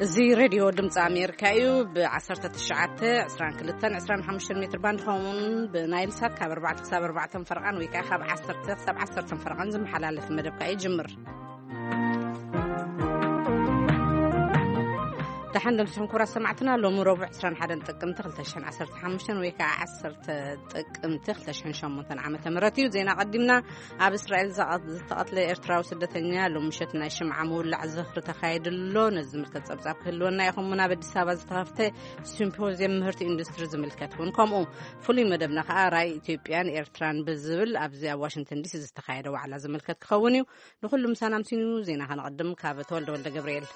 እዚ ሬድዮ ድምፂ ኣሜሪካ እዩ። ብ19፣ 22፣ 25 ሜትር ባንድ፣ ከምኡውን ብናይል ሳት ካብ ኣርባዕተ ክሳብ ኣርባዕተ ፈረቓን ወይ ከዓ ካብ ዓሰርተ ክሳብ ዓሰርተ ፈረቓን ዝመሓላለፍ መደብ ከዓ ይጅምር። ደሓን ደምሲኹም ክቡራት ሰማዕትና። ሎሚ ረቡዕ ዕስራን ሓደን ጥቅምቲ ክልተ ሽሕን ዓሰርተ ሓሙሽተን ወይ ከዓ ዓሰርተ ጥቅምቲ ክልተ ሽሕን ሸሞንተን ዓመተ ምህረት እዩ። ዜና ቀዲምና። ኣብ እስራኤል ዝቐ-፣ ዝተቐትለ ኤርትራዊ ስደተኛ ሎም ምሸት ናይ ሽምዓ ምውላዕ ዝኽሪ ተኻይዱ ኣሎ። ነዚ ዝምልከት ጸብጻብ ክህልወና እዩ። ከምኡውን ኣብ ኣዲስ ኣበባ ዝተኸፍተ ሲምፖዝየም ምህርቲ ኢንዱስትሪ ዝምልከት እውን ከምኡ። ፍሉይ መደብና ከኣ ራእይ ኢትዮጵያን ኤርትራን ብዝብል ኣብዚ ኣብ ዋሽንግተን ዲሲ ዝተኻየደ ዋዕላ ዝምልከት ክኸውን እዩ። ንኹሉ ምሳና ኣምሲኑ ዜና ከነቐድም ካብ ተወልደ ወልደ ገብርኤል።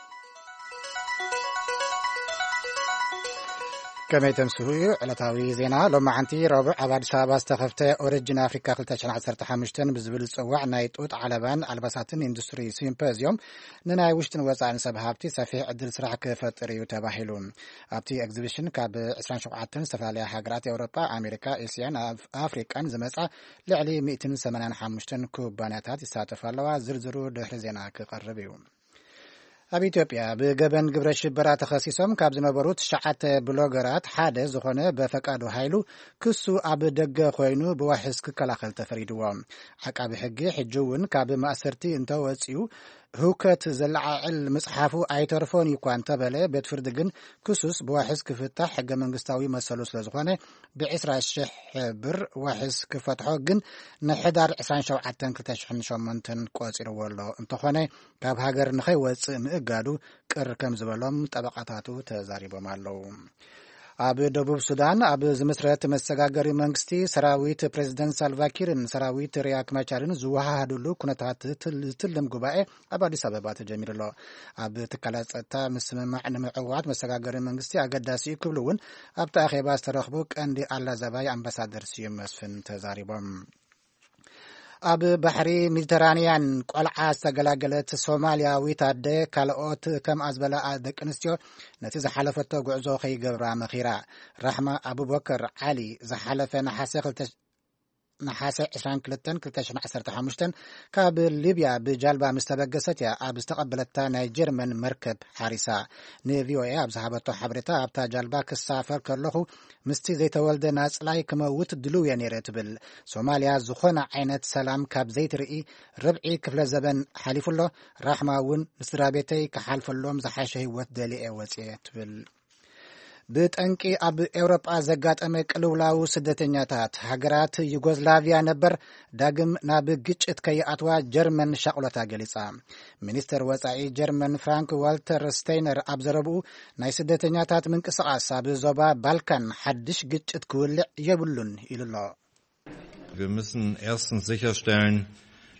ከመይ ተምስሁ እዩ ዕለታዊ ዜና። ሎማዓንቲ ረቡዕ ኣብ ኣዲስ ኣበባ ዝተኸፍተ ኦሪጅን ኣፍሪካ ክልተ ሽሕን ዓሰርተ ሓሙሽተን ብዝብል ዝፅዋዕ ናይ ጡጥ ዓለባን ኣልባሳትን ኢንዱስትሪ ሲምፖዝዮም ንናይ ውሽጥን ወፃእን ሰብ ሃብቲ ሰፊሕ ዕድል ስራሕ ክፈጥር እዩ ተባሂሉ። ኣብቲ ኤግዚቢሽን ካብ ዕስራን ሸውዓተን ዝተፈላለያ ሃገራት ኤውሮጳ፣ ኣሜሪካ፣ ኤስያን ኣፍ-፣ ኣፍሪቃን ዝመፃ ልዕሊ ሚእትን ሰማንያን ሓሙሽተን ኩባንያታት ይሳተፋ ኣለዋ። ዝርዝሩ ድሕሪ ዜና ክቐርብ እዩ። ኣብ ኢትዮጵያ ብገበን ግብረ ሽበራ ተኸሲሶም ካብ ዝነበሩ ትሽዓተ ብሎገራት ሓደ ዝኾነ በፈቃዱ ሃይሉ ክሱ ኣብ ደገ ኮይኑ ብዋሕስ ክከላኸል ተፈሪድዎ። ዓቃቢ ሕጊ ሕጂ እውን ካብ ማእሰርቲ እንተወፂኡ ህውከት ዘለዓዕል ምፅሓፉ ኣይተርፎን እዩ እኳ እንተበለ፣ ቤት ፍርዲ ግን ክሱስ ብዋሕስ ክፍታሕ ሕገ መንግስታዊ መሰሉ ስለ ዝኾነ ብዕስራ ሽሕ ብር ዋሕስ ክፈትሖ ግን ንሕዳር ዕስራን ሸውዓተን ክልተ ሽሕን ሸሞንተን ቆፂርዎ ኣሎ። እንተኾነ ካብ ሃገር ንኸይወፅእ ምእጋዱ ቅር ከም ዝበሎም ጠበቃታቱ ተዛሪቦም ኣለዉ። ኣብ ደቡብ ሱዳን ኣብ ዝምስረት መሰጋገሪ መንግስቲ ሰራዊት ፕሬዚደንት ሳልቫኪርን ሰራዊት ሪያክ ማቻርን ዝወሃሃዱሉ ኩነታት ትል-፣ ዝትልም ጉባኤ ኣብ ኣዲስ ኣበባ ተጀሚሩ ኣሎ። ኣብ ትካላት ጸጥታ ምስምማዕ ንምዕዋት መሰጋገሪ መንግስቲ ኣገዳሲ እዩ ክብሉ እውን ኣብቲ ኣኼባ ዝተረኽቡ ቀንዲ ኣላዛባይ ኣምባሳደር ስዩም መስፍን ተዛሪቦም። ኣብ ባሕሪ ሜዲተራንያን ቆልዓ ዝተገላገለት ሶማልያዊት ኣደ ካልኦት ከምኣ ዝበላ ደቂ ኣንስትዮ ነቲ ዝሓለፈቶ ጉዕዞ ከይገብራ መኺራ። ራሕማ ኣቡበከር ዓሊ ዝሓለፈ ነሓሰ ክልተ፣ ነሓሰ ዕስራን ክልተን ክልተ ሽሕን ዓሰርተ ሓሙሽተን ካብ ሊብያ ብጃልባ ምስ ተበገሰት እያ ኣብ ዝተቐበለታ ናይ ጀርመን መርከብ ሓሪሳ። ንቪኦኤ ኣብ ዝሃበቶ ሓበሬታ፣ ኣብታ ጃልባ ክሳፈር ከለኹ ምስቲ ዘይተወልደ ናጽላይ ክመውት ድልው እየ ነይረ ትብል። ሶማልያ ዝኾነ ዓይነት ሰላም ካብ ዘይትርኢ ርብዒ ክፍለ ዘበን ሓሊፉ ኣሎ። ራሕማ እውን ንስድራ ቤተይ ክሓልፈሎም ዝሓሸ ህይወት ደልየ ወፅየ ትብል። ብጠንቂ ኣብ ኤውሮጳ ዘጋጠመ ቅልውላው ስደተኛታት፣ ሃገራት ዩጎዝላቪያ ነበር ዳግም ናብ ግጭት ከይኣትዋ ጀርመን ሻቕሎታ ገሊጻ። ሚኒስተር ወጻኢ ጀርመን ፍራንክ ዋልተር ስቴይነር ኣብ ዘረብኡ፣ ናይ ስደተኛታት ምንቅስቓስ ኣብ ዞባ ባልካን ሓድሽ ግጭት ክውልዕ የብሉን ኢሉ ኣሎ። Wir müssen erstens sicherstellen,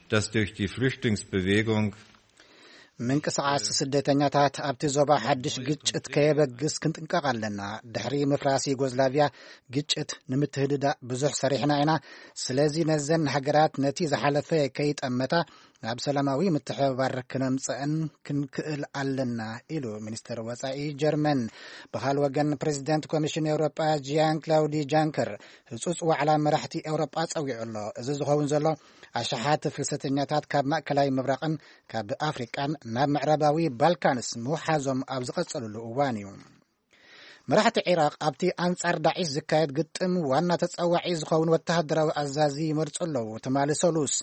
dass durch die Flüchtlingsbewegung ምንቅስቓስ ስደተኛታት ኣብቲ ዞባ ሓድሽ ግጭት ከየበግስ ክንጥንቀቕ ኣለና። ድሕሪ ምፍራስ ዩጎዝላቪያ ግጭት ንምትህድዳእ ብዙሕ ሰሪሕና ኢና። ስለዚ ነዘን ሃገራት ነቲ ዝሓለፈ ከይጠመታ ናብ ሰላማዊ ምትሕብባር ክነምጽአን ክንክእል ኣለና ኢሉ ሚኒስተር ወጻኢ ጀርመን። ብኻል ወገን ፕሬዚደንት ኮሚሽን ኤውሮጳ ጂያን ክላውዲ ጃንከር ህጹጽ ዋዕላ መራሕቲ ኤውሮጳ ጸዊዑ ኣሎ። እዚ ዝኸውን ዘሎ ኣሽሓት ፍልሰተኛታት ካብ ማእከላይ ምብራቕን ካብ ኣፍሪቃን ናብ ምዕራባዊ ባልካንስ ምውሓዞም ኣብ ዝቐጸሉሉ እዋን እዩ። መራሕቲ ዒራቕ ኣብቲ ኣንጻር ዳዒሽ ዝካየድ ግጥም ዋና ተጸዋዒ ዝኸውን ወተሃደራዊ ኣዛዚ ይመርጹ ኣለዉ። ትማሊ ሰሉስ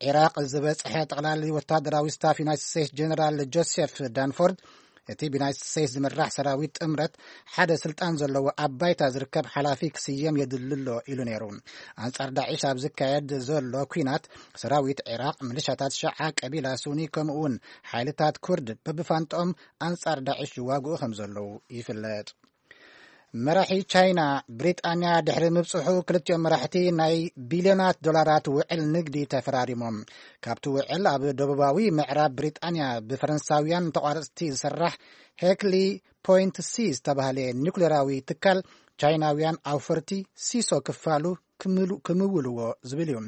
ዒራቕ ዝበጽሐ ጠቕላሊ ወተሃደራዊ ስታፍ ዩናይትድ ስቴትስ ጀነራል ጆሴፍ ዳንፎርድ፣ እቲ ብዩናይትድ ስቴትስ ዝምራሕ ሰራዊት ጥምረት ሓደ ስልጣን ዘለዎ ኣብ ባይታ ዝርከብ ሓላፊ ክስየም የድሊ ኣሎ ኢሉ ነይሩ። ኣንጻር ዳዒሽ ኣብ ዝካየድ ዘሎ ኲናት ሰራዊት ዒራቕ፣ ምልሻታት ሸዓ ቀቢላ ሱኒ ከምኡውን ሓይልታት ኩርድ በብፋንጥኦም ኣንጻር ዳዒሽ ይዋግኡ ከም ዘለዉ ይፍለጥ። መራሒ ቻይና ብሪጣንያ ድሕሪ ምብጽሑ፣ ክልቲኦም መራሕቲ ናይ ቢልዮናት ዶላራት ውዕል ንግዲ ተፈራሪሞም። ካብቲ ውዕል ኣብ ደቡባዊ ምዕራብ ብሪጣንያ ብፈረንሳውያን ተቋረጽቲ ዝስራሕ ሄክሊ ፖይንት ሲ ዝተባህለ ኒውክሌራዊ ትካል ቻይናውያን ኣውፈርቲ ሲሶ ክፋሉ ክምሉ-፣ ክምውልዎ ዝብል እዩ።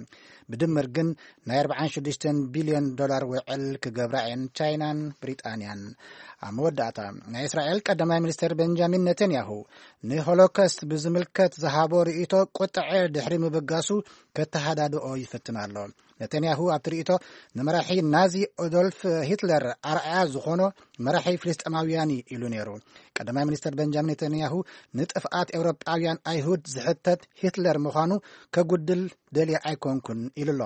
ብድምር ግን ናይ ኣርባዓን ሽዱሽተን ቢልዮን ዶላር ውዕል ክገብራ እየን ቻይናን ብሪጣንያን። ኣብ መወዳእታ፣ ናይ እስራኤል ቀዳማይ ሚኒስትር ቤንጃሚን ነተንያሁ ንሆሎኮስት ብዝምልከት ዝሃቦ ርእይቶ ቁጥዐ ድሕሪ ምብጋሱ፣ ከተሃዳድኦ ይፍትን ኣሎ። ነተንያሁ ኣብቲ ርእይቶ፣ ንመራሒ ናዚ ኦዶልፍ ሂትለር ኣርኣያ ዝኾኖ መራሒ ፍልስጤማውያን እዩ ኢሉ ነይሩ። ቀዳማይ ሚኒስትር ቤንጃሚን ነተንያሁ፣ ንጥፍኣት ኤውሮጳውያን ኣይሁድ ዝሕተት ሂትለር ምዃኑ ከጉድል ደልየ ኣይኮንኩን ኢሉ ኣሎ።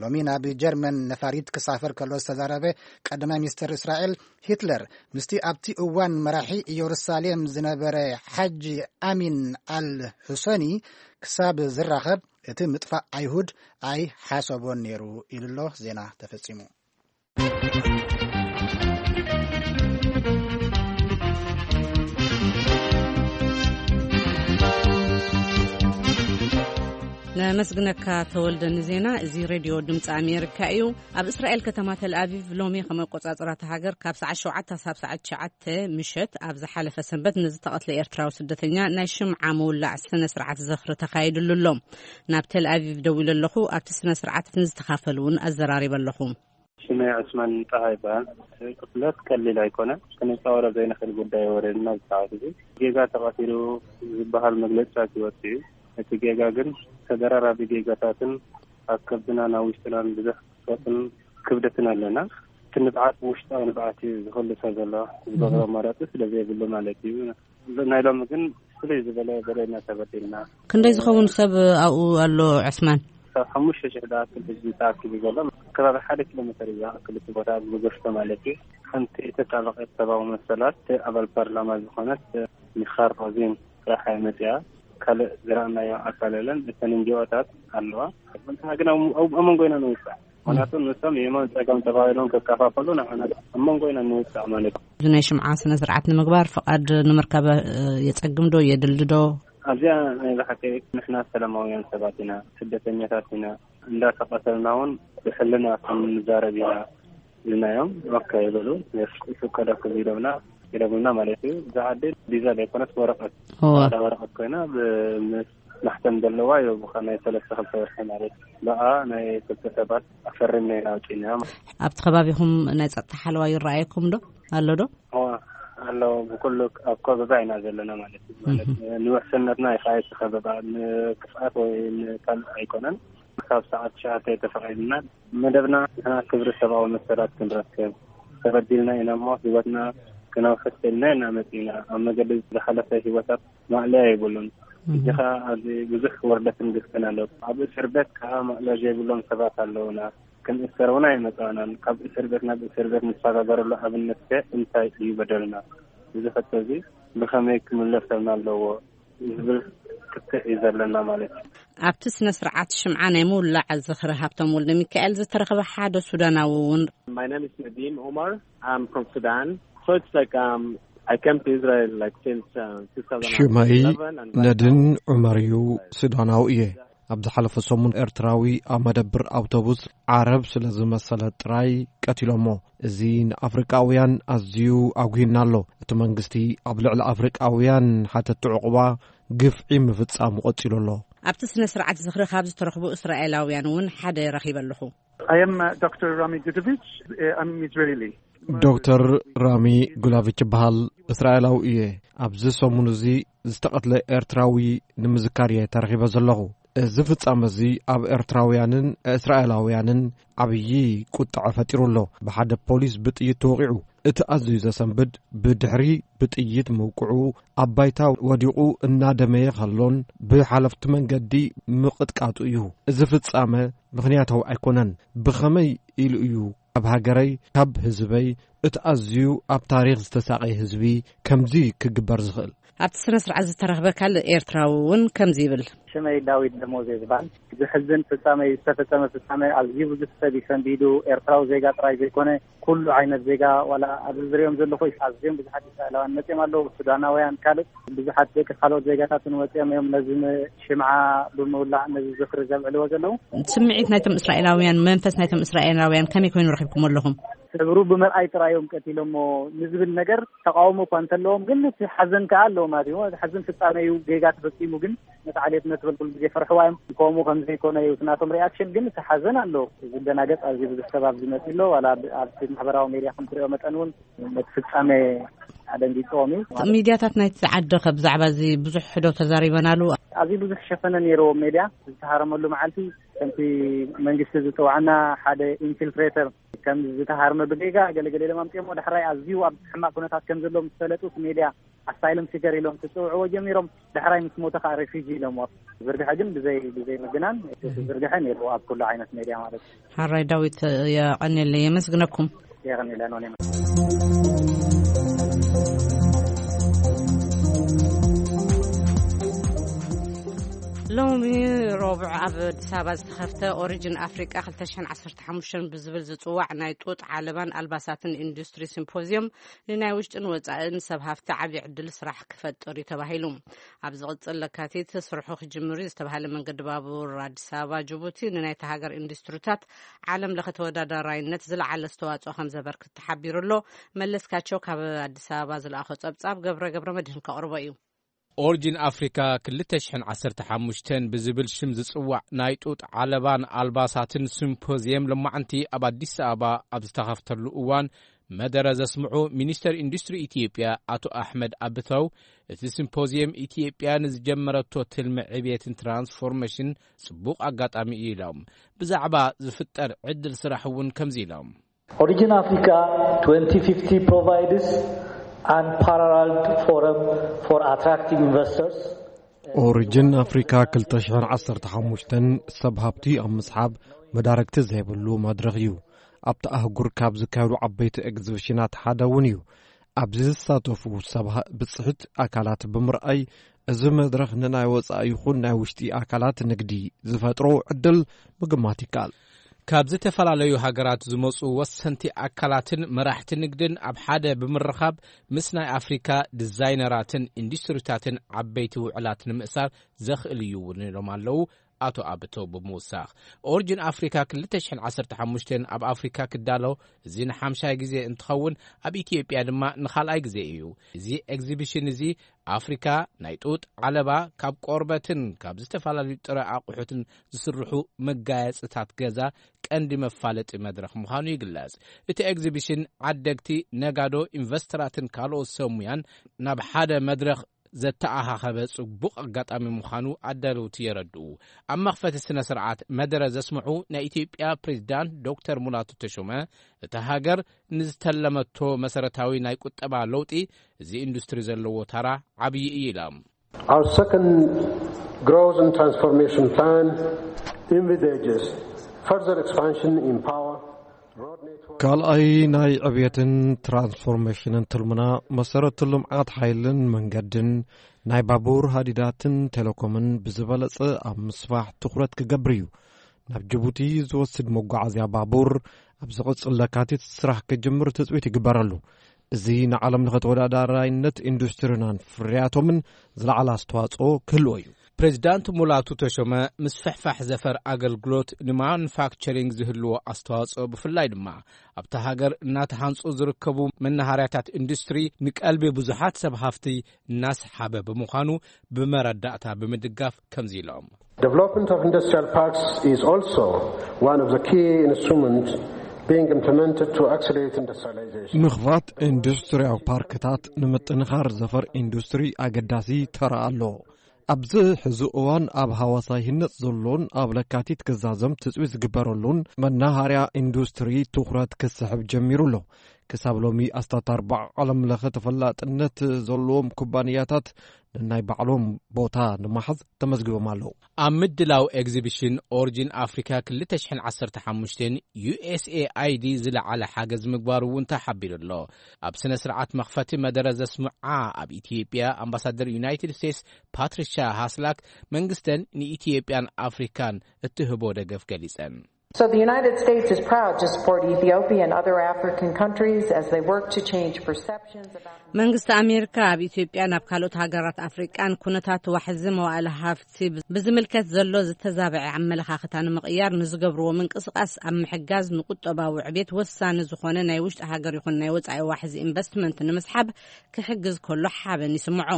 ሎሚ ናብ ጀርመን ነፋሪት ክሳፈር ከሎ ዝተዛረበ ቀዳማይ ሚኒስትር እስራኤል፣ ሂትለር ምስቲ ኣብቲ እዋን መራሒ ኢየሩሳሌም ዝነበረ ሓጂ ኣሚን ኣል ሁሰኒ ክሳብ ዝራኸብ፣ እቲ ምጥፋእ ኣይሁድ ኣይሓሰቦን ነይሩ ኢሉ ኣሎ። ዜና ተፈጺሙ። ነመስግነካ ተወልደ ንዜና። እዚ ሬድዮ ድምፂ ኣሜሪካ እዩ። ኣብ እስራኤል ከተማ ተልኣቪቭ ሎሚ ከም ኣቆጻጽራ እታ ሃገር ካብ ሰዓት ሸውዓተ ሳብ ሰዓት ትሽዓተ ምሸት ኣብ ዝሓለፈ ሰንበት ንዝተቐትለ ኤርትራዊ ስደተኛ ናይ ሽምዓ ምውላዕ ስነ ስርዓት ዝኽሪ ተኻይድሉ ኣሎ። ናብ ተልኣቪቭ ደዊለ ኣለኹ። ኣብቲ ስነ ስርዓት ንዝተኻፈሉ እውን ኣዘራሪበ ኣለኹ። ሽመይ ዑስማን ጣሃ ይበሃል። ቅትለት ቀሊል ኣይኮነን። ክንጻወሮ ዘይንኽእል ጉዳይ ወረድና። ዝሰዓት እዚ ጌጋ ተቐቲሉ ዝበሃል መግለጽታት ይወጽእ እዩ። እቲ ጌጋ ግን ተደራራቢ ጌጋታትን ኣብ ከብድናን ኣብ ውሽጥናን ብዙሕ ክፍተትን ክብደትን ኣለና። እቲ ንብዓት ውሽጣዊ ንብዓት እዩ ዝኸሉ ሰብ ዘሎ። ዝገብሮ ኣማራጺ ስለ ዘይብሉ ማለት እዩ። ናይ ሎሚ ግን ፍልይ ዝበለ በደልና ተበዲልና። ክንደይ ዝኸውን ሰብ ኣብኡ ኣሎ ዕስማን? ካብ ሓሙሽተ ሽሕ ዝኣክል ህዝቢ ተኣኪቡ ዘሎ። ከባቢ ሓደ ኪሎ ሜተር እዩ ዝኣክል እቲ ቦታ ብጎሽቶ ማለት እዩ። ሓንቲ ተጣበቐት ሰብኣዊ መሰላት ኣባል ፓርላማ ዝኾነት ሚኻል ሮዚን ጥራሕ እያ መፂኣ። ካልእ ዝረኣናዮ ኣካል የለን። እተን ኤንጂኦታት ኣለዋ። ንሕና ግን ኣብ ኣብ መንጎ ኢና ንውፃእ። ምኽንያቱ ንሶም የማን ፀጋም ተባሂሎም ከከፋፈሉ ንዓና ኣብ መንጎ ኢና ንውፃእ ማለት እዩ። እዚ ናይ ሽምዓ ስነ ስርዓት ንምግባር ፍቓድ ንምርካብ፣ እ፣ የጸግም ዶ የድሊ ዶ? ኣብዚኣ ናይ ብሓቂ ንሕና ሰላማውያን ሰባት ኢና፣ ስደተኛታት ኢና። እንዳተቐተልና እውን ብሕልና ከም ንዛረብ ኢና ኢልናዮም። ኦኬ ይበሉ፣ ይፍቀደኩም ኢሎምና፣ ኢሎምና ማለት እዩ። እዛ ዓዲ ቪዛ ዘይኮነስ ወረቐት፣ እወ። ጻዕዳ ወረቐት ኮይና ብ-፣ ምስ ማሕተም ዘለዋ እዩ። ብኸ-፣ ናይ ሰለስተ ክልተ ወርሒ ማለት እዩ። ብኣ ናይ ክልተ ሰባት ኣፈሪምና ኢና ኣውጺእናዮ። ኣብቲ ከባቢኹም ናይ ጸጥታ ሓለዋ ይረኣየኩም ዶ? ኣሎ ዶ? እወ፣ ኣሎ። ብኩሉ ኣብ ከበባ ኢና ዘለና ማለት እዩ። ማለት እህ። ንውሕስነትና እዩ ከኣ እቲ ከበባ፣ ንክፍኣት ወይ ንካልእ ኣይኮነን። ካብ ሰዓት ትሽዓተ ተፈቒድና መደብና ንሕና ክብሪ ሰብኣዊ መሰላት ክንረክብ ተበዲልና ኢና እሞ ህይወትና ክነውሕስ ኢልና ኢና መጺና። ኣብ መገዲ ዝሓለፈ ህይወታት ማእለያ የብሉን። እህ። ሕጂ ኸኣ ኣብዚ ብዙሕ ውርደትን ግፍዕን ኣሎ። ኣብ እስር ቤት ከኣ ማእለያ ዘይብሎም ሰባት ኣለዉና። ክንእሰር እውን ኣይመጻእናን። ካብ እስር ቤት ናብ እስር ቤት ንሰጋገረሉ ኣብነት ከ እንታይ እዩ በደልና? እዚ ሕቶ እዚ ብኸመይ ክምለሰልና ኣለዎ? ዝብል ክትዕ እዩ ዘለና ማለት እዩ። ኣብቲ ስነ ስርዓት ሽምዓ ናይ ምውላዕ ዝኽሪ ሃብቶም ወልደ ሚካኤል ዝተረኸበ ሓደ ሱዳናዊ እውን My name is Nadim Omar. I'm from Sudan. So it's like, um, I came to Israel, like, since, uh, ሽመይ two thousand eleven, and right ነድን now ዑመር እዩ። ሱዳናዊ እየ። ኣብ ዝሓለፈ ሰሙን ኤርትራዊ ኣብ መደብር ኣውቶቡስ ዓረብ ስለ ዝመሰለ ጥራይ ቀቲሎሞ። እዚ ንኣፍሪቃውያን ኣዝዩ ኣጉሂና ኣሎ። እቲ መንግስቲ ኣብ ልዕሊ ኣፍሪቃውያን ሓተቲ ዕቑባ ግፍዒ ምፍጻሙ ቀጺሉ ኣሎ። ኣብቲ ስነ ስርዓት ዝኽሪ ካብ ዝተረኽቡ እስራኤላውያን እውን ሓደ ረኺበ ኣለኹ። I am, uh, Doctor Rami Gudovich. Uh, I'm Israeli. ዶክተር ራሚ ጉላቪች ይበሃል። እስራኤላዊ እየ። ኣብዚ ሰሙን እዚ ዝተቐትለ ኤርትራዊ ንምዝካር እየ ተረኺበ ዘለኹ። እዚ ፍጻመ እዚ ኣብ ኤርትራውያንን እስራኤላውያንን ዓብዪ ቁጥዐ ፈጢሩ ኣሎ። ብሓደ ፖሊስ ብጥይት ተወቒዑ። እቲ ኣዝዩ ዘሰንብድ፣ ብድሕሪ ብጥይት ምውቅዑ፣ ኣብ ባይታ ወዲቑ እናደመየ ከሎን ብሓለፍቲ መንገዲ ምቕጥቃጡ እዩ። እዚ ፍጻመ ምኽንያታዊ ኣይኮነን። ብኸመይ ኢሉ እዩ ኣብ ሃገረይ ካብ ህዝበይ፣ እቲ ኣዝዩ ኣብ ታሪኽ ዝተሳቐየ ህዝቢ፣ ከምዚ ክግበር ዝኽእል? ኣብቲ ስነ ስርዓት ዝተረኽበ ካልእ ኤርትራዊ እውን ከምዚ ይብል። ሽመይ ዳዊት ደሞዝ ይበሃል። ዝሕዝን ፍጻመ እዩ ዝተፈጸመ ፍጻመ። ኣዝዩ ብዙሕ ሰብ እዩ ሰንቢዱ። ኤርትራዊ ዜጋ ጥራይ ዘይኮነ፣ ኩሉ ዓይነት ዜጋ፣ ዋላ ኣብዚ ዝሪኦም ዘለኹ ኣዝዮም ብዙሓት እስራኤላውያን መጺኦም ኣለዉ፣ ሱዳናውያን፣ ካልእ ብዙሓት ደቂ ካልኦት ዜጋታት እውን ወጺኦም እዮም ነዚ ን-፣ ሽምዓ ብምውላዕ ነዚ ዝኽሪ ዘብዕልዎ ዘለዉ። ስምዒት ናይቶም እስራኤላውያን፣ መንፈስ ናይቶም እስራኤላውያን ከመይ ኮይኑ ረኺብኩም ኣለኹም? ሕብሩ ብምርኣይ ጥራይ እዮም ቀቲሎሞ ንዝብል ነገር ተቃውሞ እኳ እንተለዎም፣ ግን እቲ ሓዘን ከኣ ኣለዎ ማለት እዩ። እቲ ሓዘን ፍጻሜ እዩ፣ ጌጋ ተፈጺሙ፣ ግን ነቲ ዓሌት ነትበል ኩሉ ግዜ ፈርሕዋ እዮም። ከምኡ ከም ዘይኮነ እዩ እቲ ናቶም ሪኣክሽን፣ ግን እቲ ሓዘን ኣሎ። ዝደናገጽ ኣዝዩ ብዙሕ ሰብ ኣብዚ መጺ ኣሎ። ዋላ ኣብ፣ ኣብቲ ማሕበራዊ ሜድያ ከም ትሪኦ መጠን እውን ነቲ ፍጻሜ ኣደንጊጽዎም እዩ። ሚድያታት ናይቲ ዓዲ ከ ብዛዕባ እዚ ብዙሕ ዶ ተዛሪበናሉ? ኣዝዩ ብዙሕ ሸፈነ ነይርዎ ሜድያ። ዝተሃረመሉ መዓልቲ ከምቲ መንግስቲ ዝጽውዓና ሓደ ኢንፊልትሬተር ከም ዝተሃርመ ብጌጋ ገለገለ ኢሎም ኣምጺኦሞ፣ ዳሕራይ ኣዝዩ ኣብ ሕማቕ ኩነታት ከም ዘሎ ምስ ፈለጡ እቲ ሜድያ ኣሳይለም ሲከር ኢሎም ክጽውዕዎ ጀሚሮም። ዳሕራይ ምስ ሞተ ከዓ ሬፊጂ ኢሎምዎ። ዝርግሐ ግን ብዘይ፣ ብዘይ ምግናን ዝርግሐ ነይሩ ኣብ ኩሉ ዓይነት ሜድያ ማለት እዩ። ሓራይ ዳዊት፣ የቐንየለይ፣ የመስግነኩም። የቐንየለን ሆነ። ሎሚ ረቡዕ ኣብ ኣዲስ ኣበባ ዝተኸፍተ ኦሪጅን ኣፍሪቃ ክልተ ሽሕን ዓሰርተ ሓሙሽተን ብዝብል ዝጽዋዕ ናይ ጡጥ ዓለባን ኣልባሳትን ኢንዱስትሪ ሲምፖዚየም ንናይ ውሽጥን ወጻእን ሰብ ሃፍቲ ዓብዪ ዕድል ስራሕ ክፈጥር እዩ ተባሂሉ። ኣብ ዝቕጽል ለካቲት ስርሑ ክጅምር እዩ ዝተባሃለ መንገዲ ባቡር ኣዲስ ኣበባ ጅቡቲ ንናይታ ሃገር ኢንዱስትሪታት ዓለም ለኸ ተወዳዳራይነት ዝለዓለ ኣስተዋጽኦ ከም ዘበርክት ተሓቢሩ ኣሎ። መለስካቸው ካብ ኣዲስ ኣበባ ዝለኣኾ ጸብጻብ ገብረ ገብረ መድህን ከቕርቦ እዩ። ኦሪጅን ኣፍሪካ ክልተ ሽሕን ዓሰርተ ሓሙሽተን ብዝብል ሽም ዝጽዋዕ ናይ ጡጥ ዓለባን ኣልባሳትን ሲምፖዚየም ሎማዕንቲ ኣብ ኣዲስ ኣበባ ኣብ ዝተኸፍተሉ እዋን መደረ ዘስምዑ ሚኒስተር ኢንዱስትሪ ኢትዮጵያ ኣቶ ኣሕመድ ኣብተው፣ እቲ ሲምፖዚየም ኢትዮጵያ ንዝጀመረቶ ትልሚ ዕብየትን ትራንስፎርሜሽን ጽቡቕ ኣጋጣሚ እዩ ኢሎም። ብዛዕባ ዝፍጠር ዕድል ስራሕ እውን ከምዚ ኢሎም። Origin Africa twenty fifty provides unparalleled forum for attracting investors. ኦሪጅን ኣፍሪካ ክልተ ሽሕን ዓሰርተ ሓሙሽተን ሰብ ሃብቲ ኣብ ምስሓብ መዳረግቲ ዘይብሉ መድረኽ እዩ። ኣብቲ ኣህጉር ካብ ዝካየዱ ዓበይቲ ኤግዚቢሽናት ሓደ እውን እዩ። ኣብዚ ዝሳተፉ ሰብ ሃ-፣ ብፅሕት ኣካላት ብምርኣይ፣ እዚ መድረኽ ንናይ ወፃኢ ይኹን ናይ ውሽጢ ኣካላት ንግዲ ዝፈጥሮ ዕድል ምግማት ይከኣል። ካብ ዝተፈላለዩ ሃገራት ዝመፁ ወሰንቲ ኣካላትን መራሕቲ ንግድን ኣብ ሓደ ብምርኻብ፣ ምስ ናይ ኣፍሪካ ዲዛይነራትን ኢንዱስትሪታትን ዓበይቲ ውዕላት ንምእሳር ዘኽእል እዩ እውን ኢሎም ኣለዉ። ኣቶ ኣብተው ብምውሳኽ፣ ኦሪጅን ኣፍሪካ ክልተ ሽሕን ዓሰርተ ሓሙሽተን ኣብ ኣፍሪካ ክዳሎ፣ እዚ ንሓምሻይ ግዜ እንትኸውን፣ ኣብ ኢትዮጵያ ድማ ንኻልኣይ ግዜ እዩ። እዚ ኤግዚቢሽን እዚ ኣፍሪካ ናይ ጡጥ ዓለባ ካብ ቆርበትን ካብ ዝተፈላለዩ ጥረ ኣቑሑትን ዝስርሑ መጋየፅታት ገዛ ቀንዲ መፋለጢ መድረኽ ምዃኑ ይግለጽ። እቲ ኤግዚቢሽን ዓደግቲ፣ ነጋዶ፣ ኢንቨስተራትን ካልኦት ሰብ ሙያን ናብ ሓደ መድረኽ ዘተኣኻኸበ ጽቡቕ ኣጋጣሚ ምዃኑ ኣዳለውቲ የረድኡ። ኣብ መኽፈቲ ስነ ስርዓት መደረ ዘስምዑ ናይ ኢትዮጵያ ፕሬዝዳንት ዶክተር ሙላቱ ተሾመ፣ እታ ሃገር ንዝተለመቶ መሰረታዊ ናይ ቁጠባ ለውጢ እዚ ኢንዱስትሪ ዘለዎ ታራ ዓብዪ እዩ ኢሎም። Our second growth and transformation plan envisages further expansion in power, road network. ካልኣይ ናይ ዕብየትን ትራንስፎርሜሽንን ትልምና፣ መሰረተ ልምዓት ሓይልን መንገድን፣ ናይ ባቡር ሃዲዳትን ቴሌኮምን ብዝበለጸ ኣብ ምስፋሕ ትኹረት ክገብር እዩ። ናብ ጅቡቲ ዝወስድ መጓዓዝያ ባቡር ኣብ ዝቕጽል ለካቲት ስራሕ ክጅምር ትጽቢት ይግበረሉ። እዚ ንዓለም ለኸ ተወዳዳራይነት ኢንዱስትሪናን ፍርያቶምን ዝለዓለ ኣስተዋጽኦ ክህልዎ እዩ። ፕሬዚዳንት ሙላቱ ተሾመ፣ ምስፍሕፋሕ ዘፈር ኣገልግሎት ንማኑፋክቸሪንግ ዝህልዎ ኣስተዋጽኦ፣ ብፍላይ ድማ ኣብታ ሃገር እናተሃንጹ ዝርከቡ መናሃርያታት ኢንዱስትሪ፣ ንቀልቢ ብዙሓት ሰብ ሃፍቲ እናስሓበ ብምዃኑ፣ ብመረዳእታ ብምድጋፍ ከምዚ ኢሎም። Development of industrial parks is also one of the key instruments being implemented to accelerate industrialization. ምኽፋት ኢንዱስትሪያዊ ፓርክታት ንምጥንኻር ዘፈር ኢንዱስትሪ ኣገዳሲ ተራ ኣለዎ። ኣብዚ ሕዚ እዋን ኣብ ሃዋሳ ይህነጽ ዘሎን ኣብ ለካቲት ክዛዘም ትጽቢት ዝግበረሉን መናሃርያ ኢንዱስትሪ ትኹረት ክስሕብ ጀሚሩ ኣሎ። ክሳብ ሎሚ ኣስታት ኣርባዓ ዓለም ለኸ ተፈላጥነት ዘለዎም ኩባንያታት ነናይ ባዕሎም ቦታ ንምሓዝ ተመዝጊቦም ኣለዉ። ኣብ ምድላው ኤግዚቢሽን ኦሪጂን ኣፍሪካ ክልተ ሽሕን ዓሰርተ ሓሙሽተን ዩ ኤስ ኤ ኣይ ዲ ዝለዓለ ሓገዝ ምግባሩ እውን ተሓቢሩ ኣሎ። ኣብ ስነ ስርዓት መኽፈቲ መደረ ዘስምዓ ኣብ ኢትዮጵያ ኣምባሳደር ዩናይትድ ስቴትስ ፓትሪሻ ሃስላክ፣ መንግስተን ንኢትዮጵያን ኣፍሪካን እትህቦ ደገፍ ገሊጸን። So the United States is proud to support Ethiopia and other African countries as they work to change perceptions about መንግስቲ ኣሜሪካ ኣብ ኢትዮጵያ ናብ ካልኦት ሃገራት ኣፍሪቃን ኩነታት ዋሕዚ መዋእለ ሃፍቲ ብዝምልከት ዘሎ ዝተዛበዐ ኣመለኻኽታ ንምቕያር ንዝገብርዎ ምንቅስቃስ ኣብ ምሕጋዝ ንቁጠባዊ ዕቤት ወሳኒ ዝኾነ ናይ ውሽጢ ሃገር ይኹን ናይ ወጻኢ ዋሕዚ ኢንቨስትመንት ንምስሓብ ክሕግዝ ከሎ ሓበን ይስምዖ።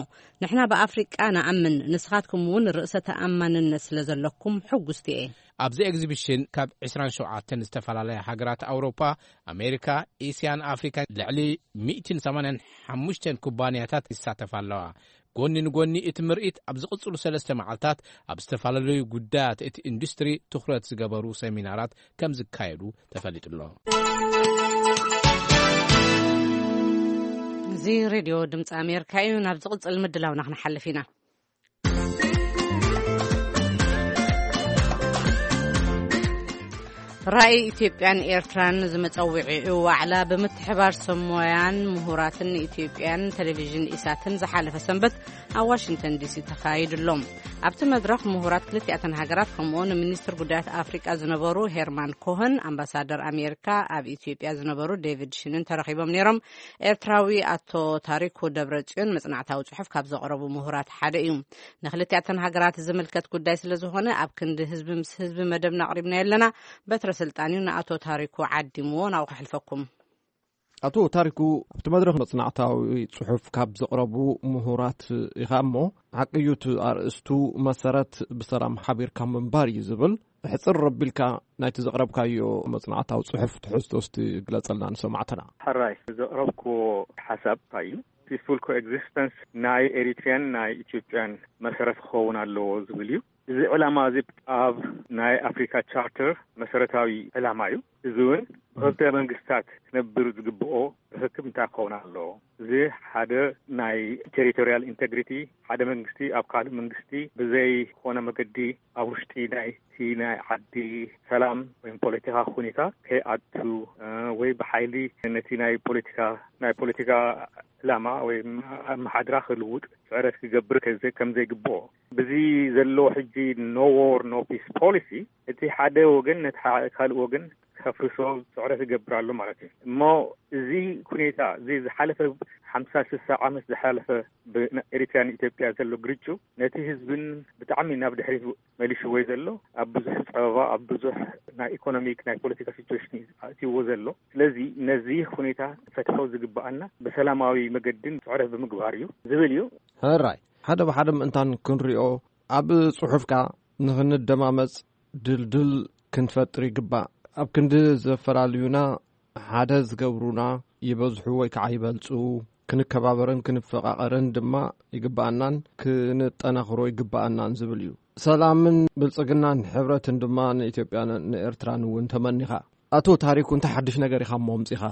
ንሕና ብኣፍሪቃ ንኣምን፣ ንስኻትኩም እውን ርእሰ ተኣማንነት ስለ ዘለኩም ሕጉስቲ እየ። ኣብዚ ኤግዚቢሽን ካብ ዕስራን ሸውዓተን ዝተፈላለያ ሃገራት ኣውሮፓ፣ ኣሜሪካ፣ ኤስያን ኣፍሪካን ልዕሊ ሚእትን ሰማንያን ሓሙሽተን ኩባንያታት ይሳተፋ ኣለዋ። ጎኒ ንጎኒ እቲ ምርኢት ኣብ ዝቕጽሉ ሰለስተ መዓልታት ኣብ ዝተፈላለዩ ጉዳያት እቲ ኢንዱስትሪ ትኹረት ዝገበሩ ሰሚናራት ከም ዝካየዱ ተፈሊጡ ኣሎ። እዚ ሬድዮ ድምፂ ኣሜሪካ እዩ። ናብ ዝቕጽል ምድላውና ክንሓልፍ ኢና። ራእይ ኢትዮጵያን ኤርትራን ዝመጸውዒኡ ዋዕላ ብምትሕባር ሰብ ሞያን ምሁራትን ኢትዮጵያን ቴሌቪዥን ኢሳትን ዝሓለፈ ሰንበት ኣብ ዋሽንግተን ዲሲ ተኻይዱ ኣሎ። ኣብቲ መድረኽ ምሁራት ክልቲኣተን ሃገራት ከምኡውን ሚኒስትር ጉዳያት ኣፍሪቃ ዝነበሩ ሄርማን ኮህን፣ ኣምባሳደር ኣሜሪካ ኣብ ኢትዮጵያ ዝነበሩ ዴቪድ ሽንን ተረኺቦም ነይሮም። ኤርትራዊ ኣቶ ታሪኩ ደብረጽዮን መጽናዕታዊ ጽሑፍ ካብ ዘቕረቡ ምሁራት ሓደ እዩ። ንክልቲኣተን ሃገራት ዝምልከት ጉዳይ ስለ ዝኾነ ኣብ ክንዲ ህዝቢ ምስ ህዝቢ መደብና ኣቕሪብናዮ ኣለና። በትረ ስልጣን እዩ ንኣቶ ታሪኩ ዓዲምዎ ናብኡ ከሕልፈኩም። ኣቶ ታሪኩ፣ ኣብቲ መድረኽ መጽናዕታዊ ጽሑፍ ካብ ዘቕረቡ ምሁራት ኢኻ እሞ፣ ሓቂ እዩ እቲ ኣርእስቱ መሰረት ብሰላም ሓቢርካ ምንባር እዩ ዝብል። ሕጽር ረቢልካ ናይቲ ዘቕረብካዮ መጽናዕታዊ ጽሑፍ ትሕዝቶ እስቲ ግለጸልና ንሰማዕትና። ሕራይ፣ ዘቕረብክዎ ሓሳብ እንታይ እዩ? ፒስፉል ኮኤግዚስተንስ ናይ ኤሪትሪያን ናይ ኢትዮጵያን መሰረት ክኸውን ኣለዎ ዝብል እዩ። እዚ ዕላማ እዚ ኣብ ናይ ኣፍሪካ ቻርተር መሰረታዊ ዕላማ እዩ። እዚ እውን ብክልተ መንግስታት ክነብር ዝግብኦ ርክክብ እንታይ ክኸውን ኣለዎ? እዚ ሓደ ናይ ቴሪቶሪያል ኢንቴግሪቲ፣ ሓደ መንግስቲ ኣብ ካልእ መንግስቲ ብዘይኮነ መገዲ ኣብ ውሽጢ ናይቲ ናይ ዓዲ ሰላም ወይ ፖለቲካ ሁኔታ ከይኣቱ፣ እ፣ ወይ ብሓይሊ ነቲ ናይ ፖለቲካ፣ ናይ ፖለቲካ ዕላማ ወይ ኣመሓድራ ክልውጥ ስዕረት ክገብር ከዘ-፣ ከም ዘይግብኦ፣ ብዚ ዘሎ ሕጂ ኖ ዎር ኖ ፒስ ፖሊሲ፣ እቲ ሓደ ወገን ነቲ ካ-፣ ካልእ ወገን ከፍርሶ ስዕረት ይገብር ኣሎ ማለት እዩ። እሞ እዚ ሁኔታ፣ እዚ ዝሓለፈ ሓምሳ ስሳ ዓመት ዝሓለፈ ብኤሪትራን ኢትዮጵያ ዘሎ ግርጩ፣ ነቲ ህዝብን ብጣዕሚ ናብ ድሕሪት መሊሽዎ ዘሎ፣ ኣብ ብዙሕ ጸበባ፣ ኣብ ብዙሕ ናይ ኢኮኖሚክ፣ ናይ ፖለቲካ ሲቹዌሽን እዩ ኣእትይዎ ዘሎ። ስለዚ ነዚ ሁኔታ ፈትሖ ዝግብኣና ብሰላማዊ መገድን ስዕረት ብምግባር እዩ ዝብል እዩ። ሕራይ፣ ሓደ ብሓደ ምእንታን ክንሪኦ፣ ኣብ ጽሑፍካ ንኽንደማመጽ ድልድል ክንፈጥር ይግባእ። ኣብ ክንዲ ዘፈላልዩና ሓደ ዝገብሩና ይበዝሑ ወይ ከዓ ይበልጹ፣ ክንከባበርን ክንፈቓቐርን ድማ ይግባኣናን ክንጠናኽሮ ይግባኣናን ዝብል እዩ። ሰላምን ብልጽግናን ሕብረትን ድማ ንኢትዮጵያን ንኤርትራን እውን ተመኒኻ። ኣቶ ታሪኩ፣ እንታይ ሓድሽ ነገር ኢኻ እሞ ኣምጺኻ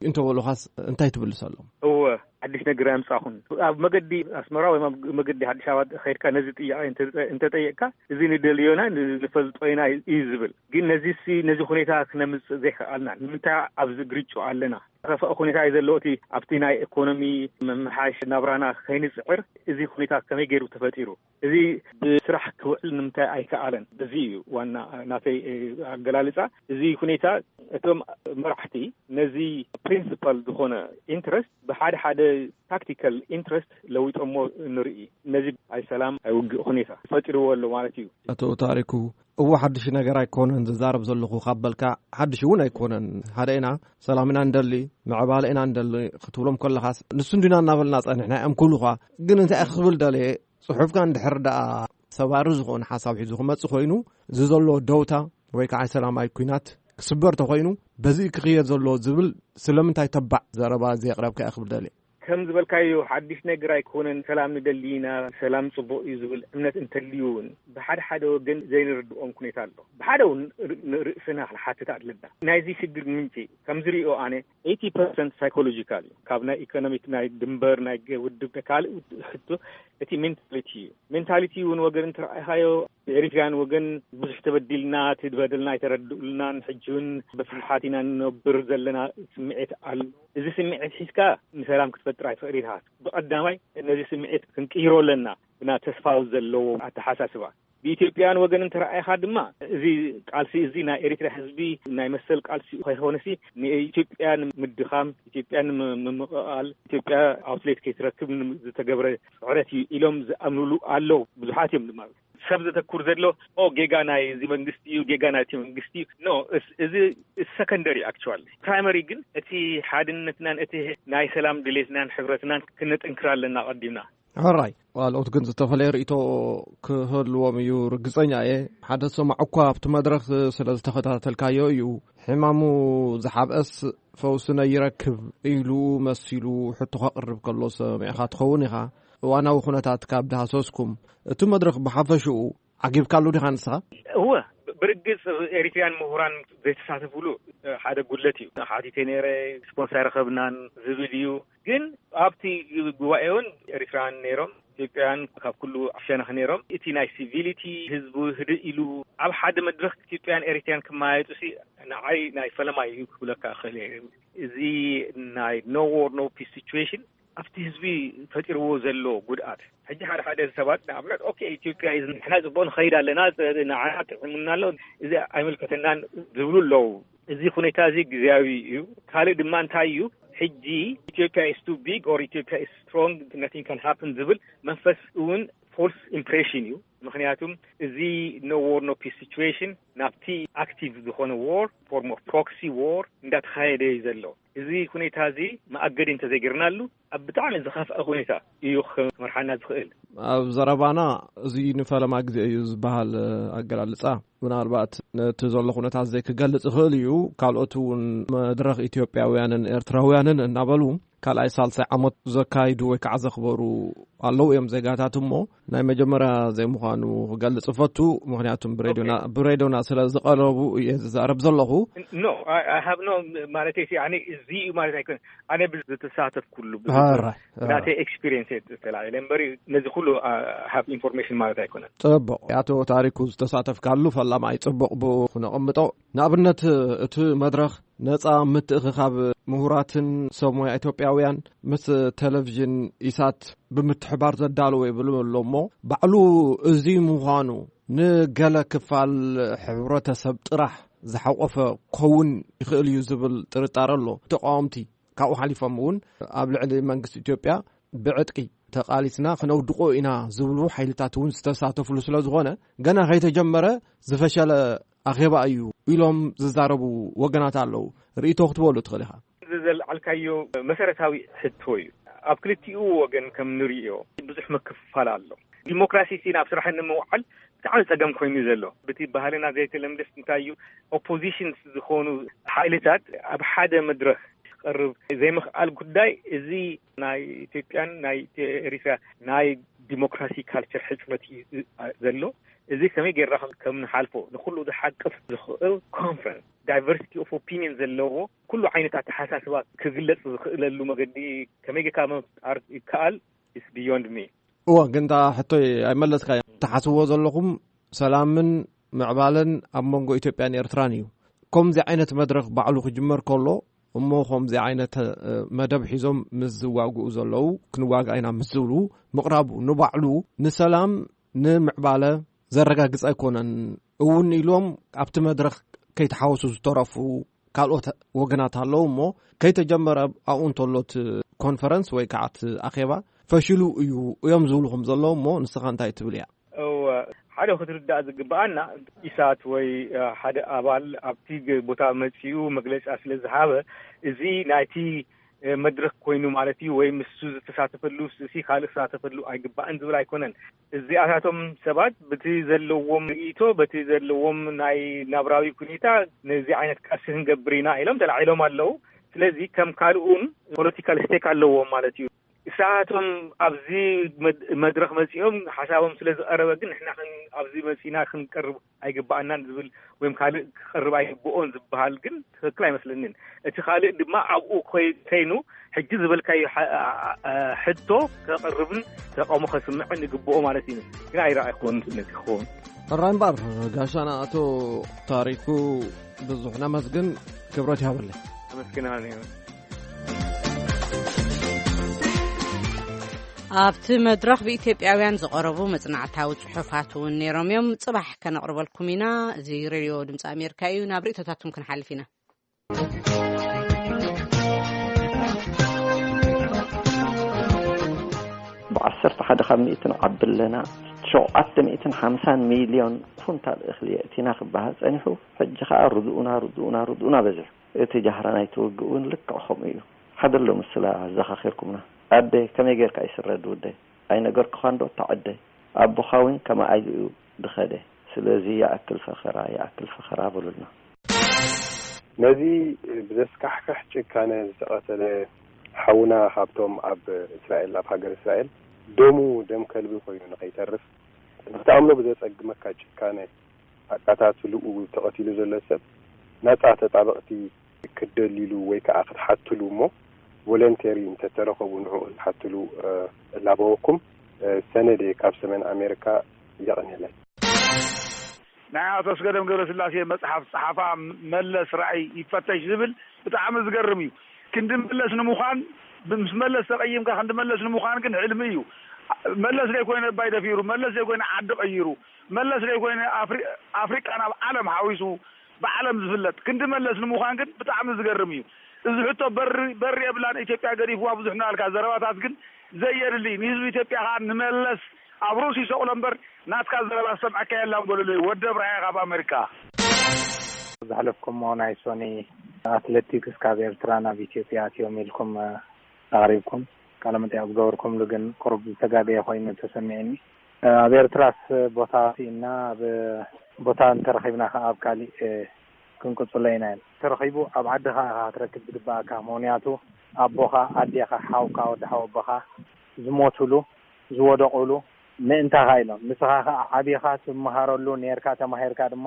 እንተበሉኻስ እንታይ ትብልሰሎም? እወ፣ ሓድሽ ነገር ኣምጻኹን። ኣብ መገዲ ኣስመራ ወይ ኣብ መገዲ ኣዲስ ኣበባ ከይድካ ነዚ ጥያቄ እንተ-፣ እንተጠየቅካ፣ እዚ ንደልዮና ን-፣ ንፈልጦ ኢና እዩ ዝብል። ግን ነዚሲ፣ ነዚ ሁኔታ ክነምጽእ ዘይከኣልና ንምንታይ ኣብዚ ግርጭ ኣለና? ከፋእ ሁኔታ እዩ ዘለዎ። እቲ ኣብቲ ናይ ኢኮኖሚ ምምሓሽ ናብራና ከይንጽዕር እዚ ሁኔታ ከመይ ገይሩ ተፈጢሩ? እዚ ብስራሕ ክውዕል ንምንታይ ኣይከኣለን? እዚ እዩ ዋና ናተይ፣ እ፣ ኣገላልጻ። እዚ ሁኔታ እቶም መራሕቲ ነዚ ፕሪንሲፓል ዝኾነ ኢንትረስት ብሓደ ሓደ ታክቲካል ኢንትረስት ለዊጦሞ ንርኢ። ነዚ ኣይ ሰላም ኣይ ውግእ ሁኔታ ፈጢርዎ ኣሎ ማለት እዩ። ኣቶ ታሪኩ፣ እዎ ሓድሽ ነገር ኣይኮነን ዝዛረብ ዘለኹ ካብ በልካ፣ ሓድሽ እውን ኣይኮነን። ሓደ ኢና፣ ሰላም ኢና እንደሊ፣ ምዕባለ ኢና እንደሊ ክትብሎም ከለኻስ፣ ንሱ እንዲና እናበልና ጸኒሕና እዮም ክብሉኻ። ግን እንታይ ክብል ደልየ፣ ጽሑፍካ እንድሕር ደኣ ሰባሪ ዝኾነ ሓሳብ ሒዙ ክመጽእ ኮይኑ፣ እዚ ዘሎ ደውታ ወይ ከዓ ሰላማዊ ኲናት ክስበር ተኾይኑ፣ በዚ ክኽየድ ዘለዎ ዝብል ስለምንታይ ተባዕ ዘረባ ዘየቕረብካ እየ ክብል ደልየ። ከም ዝበልካዮ፣ ሓድሽ ነገር ኣይኮነን። ሰላም ንደሊ ኢና፣ ሰላም ጽቡቕ እዩ ዝብል እምነት እንተልዩ እውን፣ ብሓደ ሓደ ወገን ዘይንርድኦም ኩኔታ ኣሎ። ብሓደ እውን ር-፣ ንርእስና ክንሓትት ኣለና። ናይዚ ሽግር ምንጪ ከም ዝሪኦ ኣነ፣ ኤይቲ ፐርሰንት ሳይኮሎጂካል እዩ። ካብ ናይ ኢኮኖሚክ፣ ናይ ድንበር፣ ናይ ገ-፣ ውድብ፣ ካልእ ውድ-፣ ሕቶ፣ እቲ ሜንታሊቲ እዩ። ሜንታሊቲ እውን ወገን እንተረኣኻዮ፣ ብኤሪትራን ወገን ብዙሕ ተበዲልና፣ እቲ በደልና ኣይተረድኡልናን፣ ሕጂ እውን ብፍርሓት ኢና ንነብር ዘለና ስምዒት ኣሎ። እዚ ስምዒት ሒዝካ ንሰላም ክትፈጥር ኣይትኽእል ኢኻ። ብቐዳማይ ነዚ ስምዒት ክንቅይሮ ኣለና፣ ብና ተስፋ ዘለዎ ኣተሓሳስባ። ብኢትዮጵያውያን ወገን እንተረኣይኻ ድማ፣ እዚ ቃልሲ እዚ ናይ ኤሪትራ ህዝቢ ናይ መሰል ቃልሲ ከይኮነሲ፣ ንኢትዮጵያ ንምድኻም፣ ኢትዮጵያ ንምምቕቓል፣ ኢትዮጵያ ኣውትሌት ከይትረክብ ን-፣ ዝተገብረ ጽዕረት እዩ ኢሎም ዝኣምኑሉ ኣለዉ። ብዙሓት እዮም ድማ። ሰብ ዘተኩር ዘሎ፣ ኦ፣ ጌጋ ናይ እዚ መንግስቲ እዩ፣ ጌጋ ናይ እቲ መንግስቲ እዩ። ኖ፣ እስ-፣ እዚ ሰከንደሪ፣ ኣክቹዋሊ። ፕራይመሪ ግን እቲ ሓድነትናን እቲ ናይ ሰላም ድሌትናን ሕብረትናን ክነጥንክር ኣለና ቀዲምና። ሕራይ፣ ካልኦት ግን ዝተፈለየ ርእይቶ ክህልዎም እዩ ርግጸኛ እየ። ሓደ ሰማዕ እኳ ኣብቲ መድረኽ ስለ ዝተኸታተልካዮ እዩ፣ ሕማሙ ዝሓብአስ ፈውሲ ነይረክብ ኢሉ መሲሉ ሕቶ ከቕርብ ከሎ ሰሚዕኻ ትኸውን ኢኻ። እዋናዊ ኩነታት ካብ ዳህሰስኩም፣ እቲ መድረኽ ብሓፈሽኡ ዓጊብካሉ ዲኻ ንስኻ? እወ፣ ብርግጽ ኤሪትርያን ምሁራን ዘይተሳተፉሉ፣ እ፣ ሓደ ጉድለት እዩ። ሓቲተ ነይረ፣ ስፖንሰር ኣይረኸብናን ዝብል እዩ። ግን ኣብቲ ጉባኤ እውን ኤሪትራውያን ነይሮም፣ ኢትዮጵያውያን ካብ ኩሉ ሸነኽ ነይሮም። እቲ ናይ ሲቪሊቲ ህዝቡ ህድእ ኢሉ ኣብ ሓደ መድረኽ ኢትዮጵያን ኤሪትርያን ክመያየጡ ሲ ንዓይ ናይ ፈለማ እዩ ክብለካ እኽእል እየ። እዚ ናይ no war no peace situation ኣብቲ ህዝቢ ፈጢርዎ ዘሎ ጉድኣት፣ ሕጂ ሓደ ሓደ ሰባት ንኣብነት፣ ኦኬ፣ ኢትዮጵያ እዩ፣ ንሕና ጽቡቕ ንኸይድ ኣለና፣ ንዓና ጥዕሙና ኣሎ፣ እዚ ኣይምልከተናን ዝብሉ ኣለዉ። እዚ ሁኔታ እዚ ግዜያዊ እዩ። ካልእ ድማ እንታይ እዩ፣ ሕጂ ኢትዮጵያ is too big or ኢትዮጵያ is strong, nothing can happen ዝብል መንፈስ እውን ፎልስ ኢምፕሬሽን እዩ። ምኽንያቱም እዚ no war no peace situation ናብቲ ኣክቲቭ ዝኾነ ዎር፣ ፎርም ኦፍ ፕሮክሲ ዎር እንዳተኻየደ እዩ ዘሎ። እዚ ሁኔታ እዚ መኣገዲ እንተዘይገርናሉ፣ ኣብ ብጣዕሚ ዝኸፍአ ሁኔታ እዩ ክመርሓና ዝኽእል። ኣብ ዘረባና፣ እዚ ንፈለማ ግዜ እዩ ዝበሃል ኣገላልጻ፣ ምናልባት ነቲ ዘሎ ኩነታት ዘይክገልጽ ይኽእል እዩ። ካልኦት እውን መድረኽ ኢትዮጵያውያንን ኤርትራውያንን እናበሉ ካልኣይ ሳልሳይ ዓመት ዘካይዱ ወይ ከዓ ዘኽበሩ ኣለዉ እዮም ዜጋታት። እሞ ናይ መጀመርያ ዘይምዃኑ ክገልጽ እፈቱ፣ ምኽንያቱም ብሬድዮና፣ ኦኬ። ብሬድዮና ስለ ዝቐረቡ እየ ዝዛረብ ዘለኹ። ኖ፣ I, I have no ማለት እዩ። ኣነ እዚ እዩ ማለት ኣይኮነን። ኣነ ብዝተሳተፍኩሉ፣ ብዙ ኣራይ፣ ኣራይ። ናተይ ኤክስፒሪየንስ እየ ተላዒለ እምበር፣ ነዚ ኩሉ፣ አ፣ ሃብ ኢንፎርሜሽን ማለት ኣይኮነን። ጽቡቕ። ኣቶ ታሪኩ ዝተሳተፍካሉ ፈላማይ ጽቡቕ ብኡ ክነቐምጦ። ንኣብነት፣ እቲ መድረኽ ነጻ ምትእኽኻብ ምሁራትን ሰብ ሞያ ኢትዮጵያውያን ምስ ቴሌቪዥን ኢሳት ብምትሕባር ዘዳለዎ ይብሉ ኣሎ እሞ፣ ባዕሉ እዚ ምዃኑ ንገለ ክፋል ሕብረተሰብ ጥራሕ ዝሓቆፈ ክኸውን ይኽእል እዩ ዝብል ጥርጣረ ኣሎ። ተቃወምቲ ካብኡ ሓሊፎም እውን ኣብ ልዕሊ መንግስቲ ኢትዮጵያ ብዕጥቂ ተቓሊስና ክነውድቆ ኢና ዝብሉ ሓይልታት እውን ዝተሳተፍሉ ስለ ዝኾነ፣ ገና ከይተጀመረ ዝፈሸለ ኣኼባ እዩ ኢሎም ዝዛረቡ ወገናት ኣለዉ። ርእይቶ ክትበሉ ትኽእል ኢኻ። እዚ ዘልዓልካዮ መሰረታዊ ሕቶ እዩ። ኣብ ክልቲኡ ወገን ከም ንርእዮ ብዙሕ ምክፍፋል ኣሎ። ዲሞክራሲ ሲ ናብ ስራሕ ንምውዓል ብጣዕሚ ጸገም ኮይኑ ዘሎ። ብቲ ባህልና ዘይተለምደስ እንታይ እዩ፣ ኦፖዚሽንስ ዝኾኑ ሓይልታት ኣብ ሓደ መድረኽ ክቐርብ ዘይምኽኣል ጉዳይ፣ እዚ ናይ ኢትዮጵያን ናይ ኤሪትራ ናይ ዲሞክራሲ ካልቸር ሕጽረት እዩ ዘሎ። እዚ ከመይ ጌርና ከም፣ ከም ንሓልፎ፣ ንኹሉ ዝሓቅፍ ዝኽእል ኮንፈረንስ፣ ዳይቨርሲቲ ኦፍ ኦፒኒየን ዘለዎ፣ ኩሉ ዓይነት ኣተሓሳስባ ክግለጽ ዝኽእለሉ መገዲ ከመይ ጌርካ ምፍጣር ይከኣል? It's beyond me። እወ፣ ግን እታ ሕቶይ ኣይመለስካያ። ትሓስብዎ ዘለኹም ሰላምን ምዕባለን ኣብ መንጎ ኢትዮጵያን ኤርትራን እዩ። ከምዚ ዓይነት መድረኽ ባዕሉ ክጅመር ከሎ፣ እሞ ከምዚ ዓይነት፣ እ፣ መደብ ሒዞም ምስ ዝዋግኡ ዘለዉ፣ ክንዋጋእ ኢና ምስ ዝብሉ ምቕራቡ ንባዕሉ ንሰላም፣ ንምዕባለ ዘረጋግጽ ኣይኮነን እውን ኢሎም ኣብቲ መድረኽ ከይተሓወሱ ዝተረፉ ካልኦት ወገናት ኣለዉ እሞ፣ ከይተጀመረ ኣብኡ እንተሎ እቲ ኮንፈረንስ ወይ ከዓ እቲ ኣኼባ ፈሽሉ እዩ እዮም ዝብሉ ከም ዘለዉ እሞ፣ ንስኻ እንታይ ትብል እያ? እወ፣ ሓደ ክትርዳእ ዝግብኣና፣ ኢሳት ወይ፣ እ፣ ሓደ ኣባል ኣብቲ ግ-፣ ቦታ መጺኡ መግለጫ ስለ ዝሃበ፣ እዚ ናይቲ፣ እ፣ መድረኽ ኮይኑ ማለት እዩ፣ ወይ ምስኡ ዝተሳተፈሉ ሲ ካልእ ክሳተፈሉ ኣይግባእን ዝብል ኣይኮነን። እዚኣታቶም ሰባት በቲ ዘለዎም ርእይቶ፣ በቲ ዘለዎም ናይ ናብራዊ ኩኔታ፣ ነዚ ዓይነት ቃልሲ ክንገብር ኢና ኢሎም ተላዒሎም ኣለዉ። ስለዚ ከም ካልኡን ፖለቲካል ስቴክ ኣለዎም ማለት እዩ። ንሳቶም ኣብዚ መድ-፣ መድረኽ መጺኦም ሓሳቦም ስለ ዝቐረበ ግን ንሕና ክን-፣ ኣብዚ መጺና ክንቀርብ ኣይግባኣናን ዝብል ወይም ካልእ ክቐርብ ኣይግብኦን ዝበሃል ግን ትኽክል ኣይመስለንን። እቲ ካልእ ድማ ኣብኡ ኮይ-፣ ከይኑ ሕጂ ዝበልካዮ ሓ-፣ ኣ-፣ ኣ-፣ ሕቶ ከቕርብን ተቃውሞ ከስምዕን ይግብኦ ማለት እዩ። ግን ኣይረኣይኩዎን ነቲ ክኸውን። ሕራይ እምበር፣ ጋሻና ኣቶ ታሪኩ ብዙሕ ነመስግን፣ ክብረት ይሃበለይ። ኣመስግናለሁ። ኣብቲ መድረኽ ብኢትዮጵያውያን ዝቐረቡ መጽናዕታዊ ጽሑፋት እውን ነይሮም እዮም። ጽባሕ ከነቕርበልኩም ኢና። እዚ ሬድዮ ድምፂ ኣሜሪካ እዩ። ናብ ርእይቶታትኩም ክንሓልፍ ኢና። ብዓሰርተ ሓደ ካብ ሚእትን ዓቢ ኣለና። ሸውዓተ ሚእትን ሓምሳን ሚልዮን ኩንታል እኽሊ የእቲና ክበሃል ጸኒሑ፣ ሕጂ ኸኣ ርድኡና፣ ርድኡና፣ ርድኡና በዚሑ። እቲ ጃህራ ናይቲ ውግእ እውን ልክዕ ከምኡ እዩ። ሓደ ኣሎ ምስላ ኣዘኻኺርኩምና። ኣደ ከመይ ጌርካ ይስረድ ውደይ? ኣይነገርኩኻን ዶ እታ ዕደይ? ኣቦኻ እውን ከማኣ ኢሉ እዩ ድኸደ። ስለዚ ይኣክል ፈኸራ፣ ይኣክል ፈኸራ በሉልና። ነዚ ብዘስካሕክሕ ጭካነ ዝተቐተለ ሓውና ካብቶም ኣብ እስራኤል፣ ኣብ ሃገር እስራኤል ደሙ ደም ከልቢ ኮይኑ ንኸይተርፍ ንኽትኣምኖ ብዘጸግመካ ጭካነ ኣቃታትልኡ ተቐቲሉ ዘሎ ሰብ ናጻ ተጣበቕቲ ክትደልይሉ ወይ ከኣ ክትሓትሉ እሞ ቮለንቴሪ እንተተረኸቡ ንዕኡ ክትሓትሉ፣ እ፣ እላበወኩም። እ፣ ሰነደ ካብ ሰሜን ኣሜሪካ። የቐንየለይ። ናይ ኣቶ ኣስገዶም ገብረስላሴ መጽሓፍ ጸሓፋ መለስ ራእይ ይፈተሽ ዝብል ብጣዕሚ ዝገርም እዩ። ክንዲ መለስ ንምዃን፣ ምስ መለስ ተቐይምካ ክንዲ መለስ ንምዃን ግን ሕልሚ እዩ። መለስ ዘይኮይነ ኣባይ ደፊሩ፣ መለስ ዘይኮይነ ዓዲ ቀይሩ፣ መለስ ዘይኮይነ ኣፍሪ-፣ ኣፍሪቃ ናብ ዓለም ሓዊሱ ብዓለም ዝፍለጥ ክንዲ መለስ ንምዃን ግን ብጣዕሚ ዝገርም እዩ። እዚ ሕቶ በሪ፣ በሪ የብላን ኢትዮጵያ ገዲፍዋ ብዙሕ እናበልካ ዘረባታት ግን ዘየድሊ። ንህዝቢ ኢትዮጵያ ኸኣ ንመለስ ኣብ ርእሱ ይሰቕሎ እምበር ናትካ ዘረባ ዝሰምዐካ የላን በሉለይ። ወዲ ኣብርሃ ካብ ኣሜሪካ። ዝሓለፍኩሞ ናይ ሶኒ ኣትሌቲክስ ካብ ኤርትራ ናብ ኢትዮጵያ ኣትዮም ኢልኩም፣ እ፣ ኣቕሪብኩም ቃለ መጠይቕ ዝገበርኩምሉ ግን ቁሩብ ዝተጋገየ ኮይኑ ተሰሚዕኒ። እ፣ ኣብ ኤርትራስ ቦታ ስኢና ኣብ ቦታ እንተረኺብና ከኣ ኣብ ካሊእ፣ እ፣ ክንቅጽሎ ኢና። ተረኺቡ ኣብ ዓድኻ ኢኻ ክትረክብ ዝግባኣካ። ምኽንያቱ ኣቦኻ፣ ኣዴኻ፣ ሓውካ፣ ወዲ ሓው ኣቦኻ ዝሞቱሉ፣ ዝወደቑሉ ምእንታኻ ኢሎም። ንስኻ ከኣ ዓቢኻ ትመሃረሉ ኔርካ፣ ተማሂርካ ድማ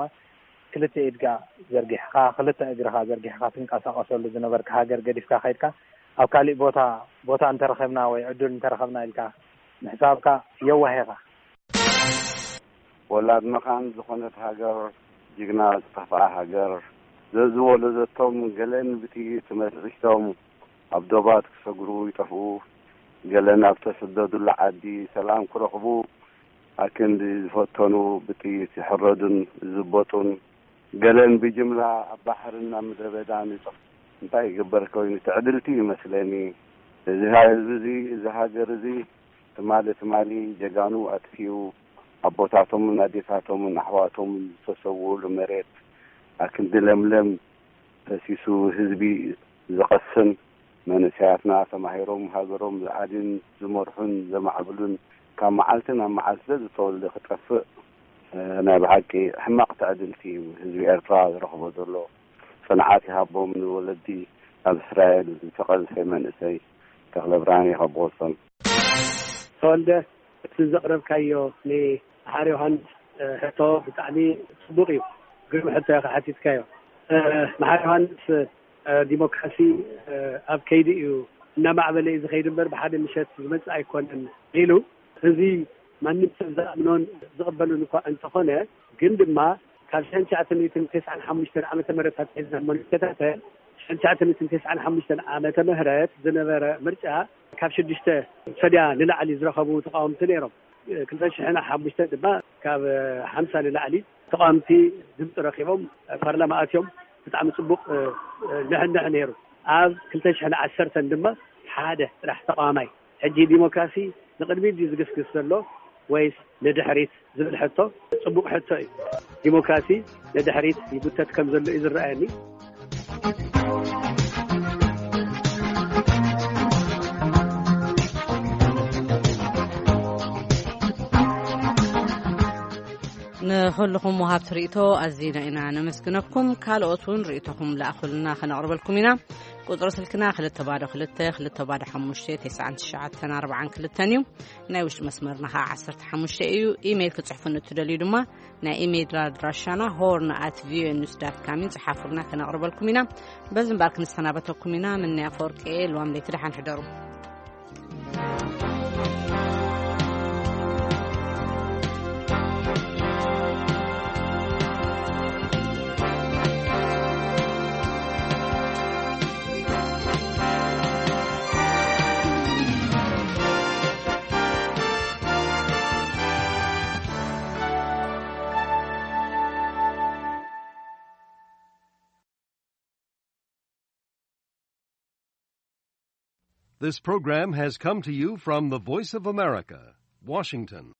ክልተ ኢድካ ዘርጊሕኻ፣ ክልተ እግርኻ ዘርጊሕኻ ትንቀሳቐሰሉ ዝነበርካ ሃገር ገዲፍካ ከይድካ፣ ኣብ ካሊእ ቦታ፣ ቦታ እንተረኸብና ወይ ዕድል እንተረኸብና ኢልካ ምሕሳብካ የዋህ ኢኻ። ወላድ መኻን ዝኾነት ሃገር፣ ጅግና ዝጠፍኣ ሃገር፣ ዘዝወለደቶም ገለን ብጥይት ተመጢጦም ኣብ ዶባት ክሰግሩ ይጠፍኡ፣ ገለን ኣብ ተሰደዱላ ዓዲ ሰላም ክረኽቡ ኣክንዲ ዝፈተኑ ብጥይት ይሕረዱን ይዝበጡን፣ ገለን ብጅምላ ኣብ ባሕርን ኣብ ምድረ በዳን ይጠፍኡ። እንታይ ይግበር ኮይኑ? ትዕድልቲ ይመስለኒ። እዚ ህዝቢ እዚ፣ እዚ ሃገር እዚ ትማሊ ትማሊ ጀጋኑ ኣጥፊኡ፣ ኣቦታቶምን ኣዴታቶምን ኣሕዋቶምን ዝተሰውኡሉ መሬት ኣክንዲ ለምለም ፈሲሱ ህዝቢ ዝቐስን፣ መንእሰያትና ተማሂሮም ሃገሮም ዝኣድን ዝመርሑን ዘማዕብሉን ካብ መዓልቲ ናብ መዓልቲ ዘዝተወልደ ክጠፍእ፣ እ፣ ናይ ብሓቂ ሕማቕ ትዕድልቲ እዩ ህዝቢ ኤርትራ ዝረኽቦ ዘሎ። ጽንዓት ይሃቦም ንወለዲ ኣብ እስራኤል ዝተቐዝፈ መንእሰይ ተኽለ ብርሃን ካብ ቦስተን። ተወልደ፣ እቲ ዘቕረብካዮ ንመሓሪ ዮሃንስ፣ እ፣ ሕቶ ብጣዕሚ ጽቡቕ እዩ። ግርም ሕቶ ኢኻ ሓቲትካዮ። እ፣ መሓሪ ዮሃንስ፣ እ፣ ዲሞክራሲ፣ እ፣ ኣብ ከይዲ እዩ፣ እናማዕበለ እዩ ዝኸይድ እምበር ብሓደ ምሸት ዝመጽእ ኣይኮነን ኢሉ። እዚ ማንም ሰብ ዝኣምኖን ዝቕበሉን እኳ እንተኾነ፣ ግን ድማ ካብ ሽሕን ትሽዓተ ሚእትን ተስዓን ሓሙሽተን ዓመተ ምህረት ኣትሒዝና እሞ ንከታተል፣ ሽሕን ትሽዓተ ሚእትን ተስዓን ሓሙሽተን ዓመተ ምህረት ዝነበረ ምርጫ ካብ ሽዱሽተ ሰድያ ንላዕሊ ዝረኸቡ ተቃወምቲ ነይሮም። ክልተ ሽሕን ሓሙሽተን ድማ ካብ ሓምሳ ንላዕሊ ተቃወምቲ ድምፂ ረኪቦም ፓርላማ ኣትዮም። ብጣዕሚ ፅቡቅ፣ እ፣ እ፣ ንሕንሕ ነይሩ። ኣብ ክልተ ሽሕን ዓሰርተን ድማ ሓደ ጥራሕ ተቃዋማይ። ሕጂ ዲሞክራሲ ንቅድሚት ድዩ ዝግስግስ ዘሎ ወይስ ንድሕሪት ዝብል ሕቶ ጽቡቕ ሕቶ እዩ። ዲሞክራሲ ንድሕሪት ይጉተት ከም ዘሎ እዩ ዝረኣየኒ። ንኹልኹም ወሃብቲ ርእይቶ ኣዚና ኢና ነመስግነኩም። ካልኦት እውን ርእይቶኹም ለኣኹልና፣ ከነቕርበልኩም ኢና። ቁጽሪ ስልክና ክልተ ባዶ ክልተ፣ ክልተ ባዶ ሓሙሽተ፣ ተስዓን ትሽዓተን ኣርባዓን ክልተን እዩ። ናይ ውሽጢ መስመርና ኸዓ ዓሰርተ ሓሙሽተ እዩ። ኢሜይል ክትጽሕፉ እንትደልዩ ድማ ናይ ኢሜይል ኣድራሻና ሆርን ኣት ቪኦኤ ኒውስ ዳት ካም እዩ። ጽሓፉልና፣ ከነቕርበልኩም ኢና። በዚ እምበኣር ክንሰናበተኩም ኢና። ምንያ ኣፈወርቂ እየ። ልዋም ለይቲ ደሓን ሕደሩ። This program has come to you from the Voice of America, Washington.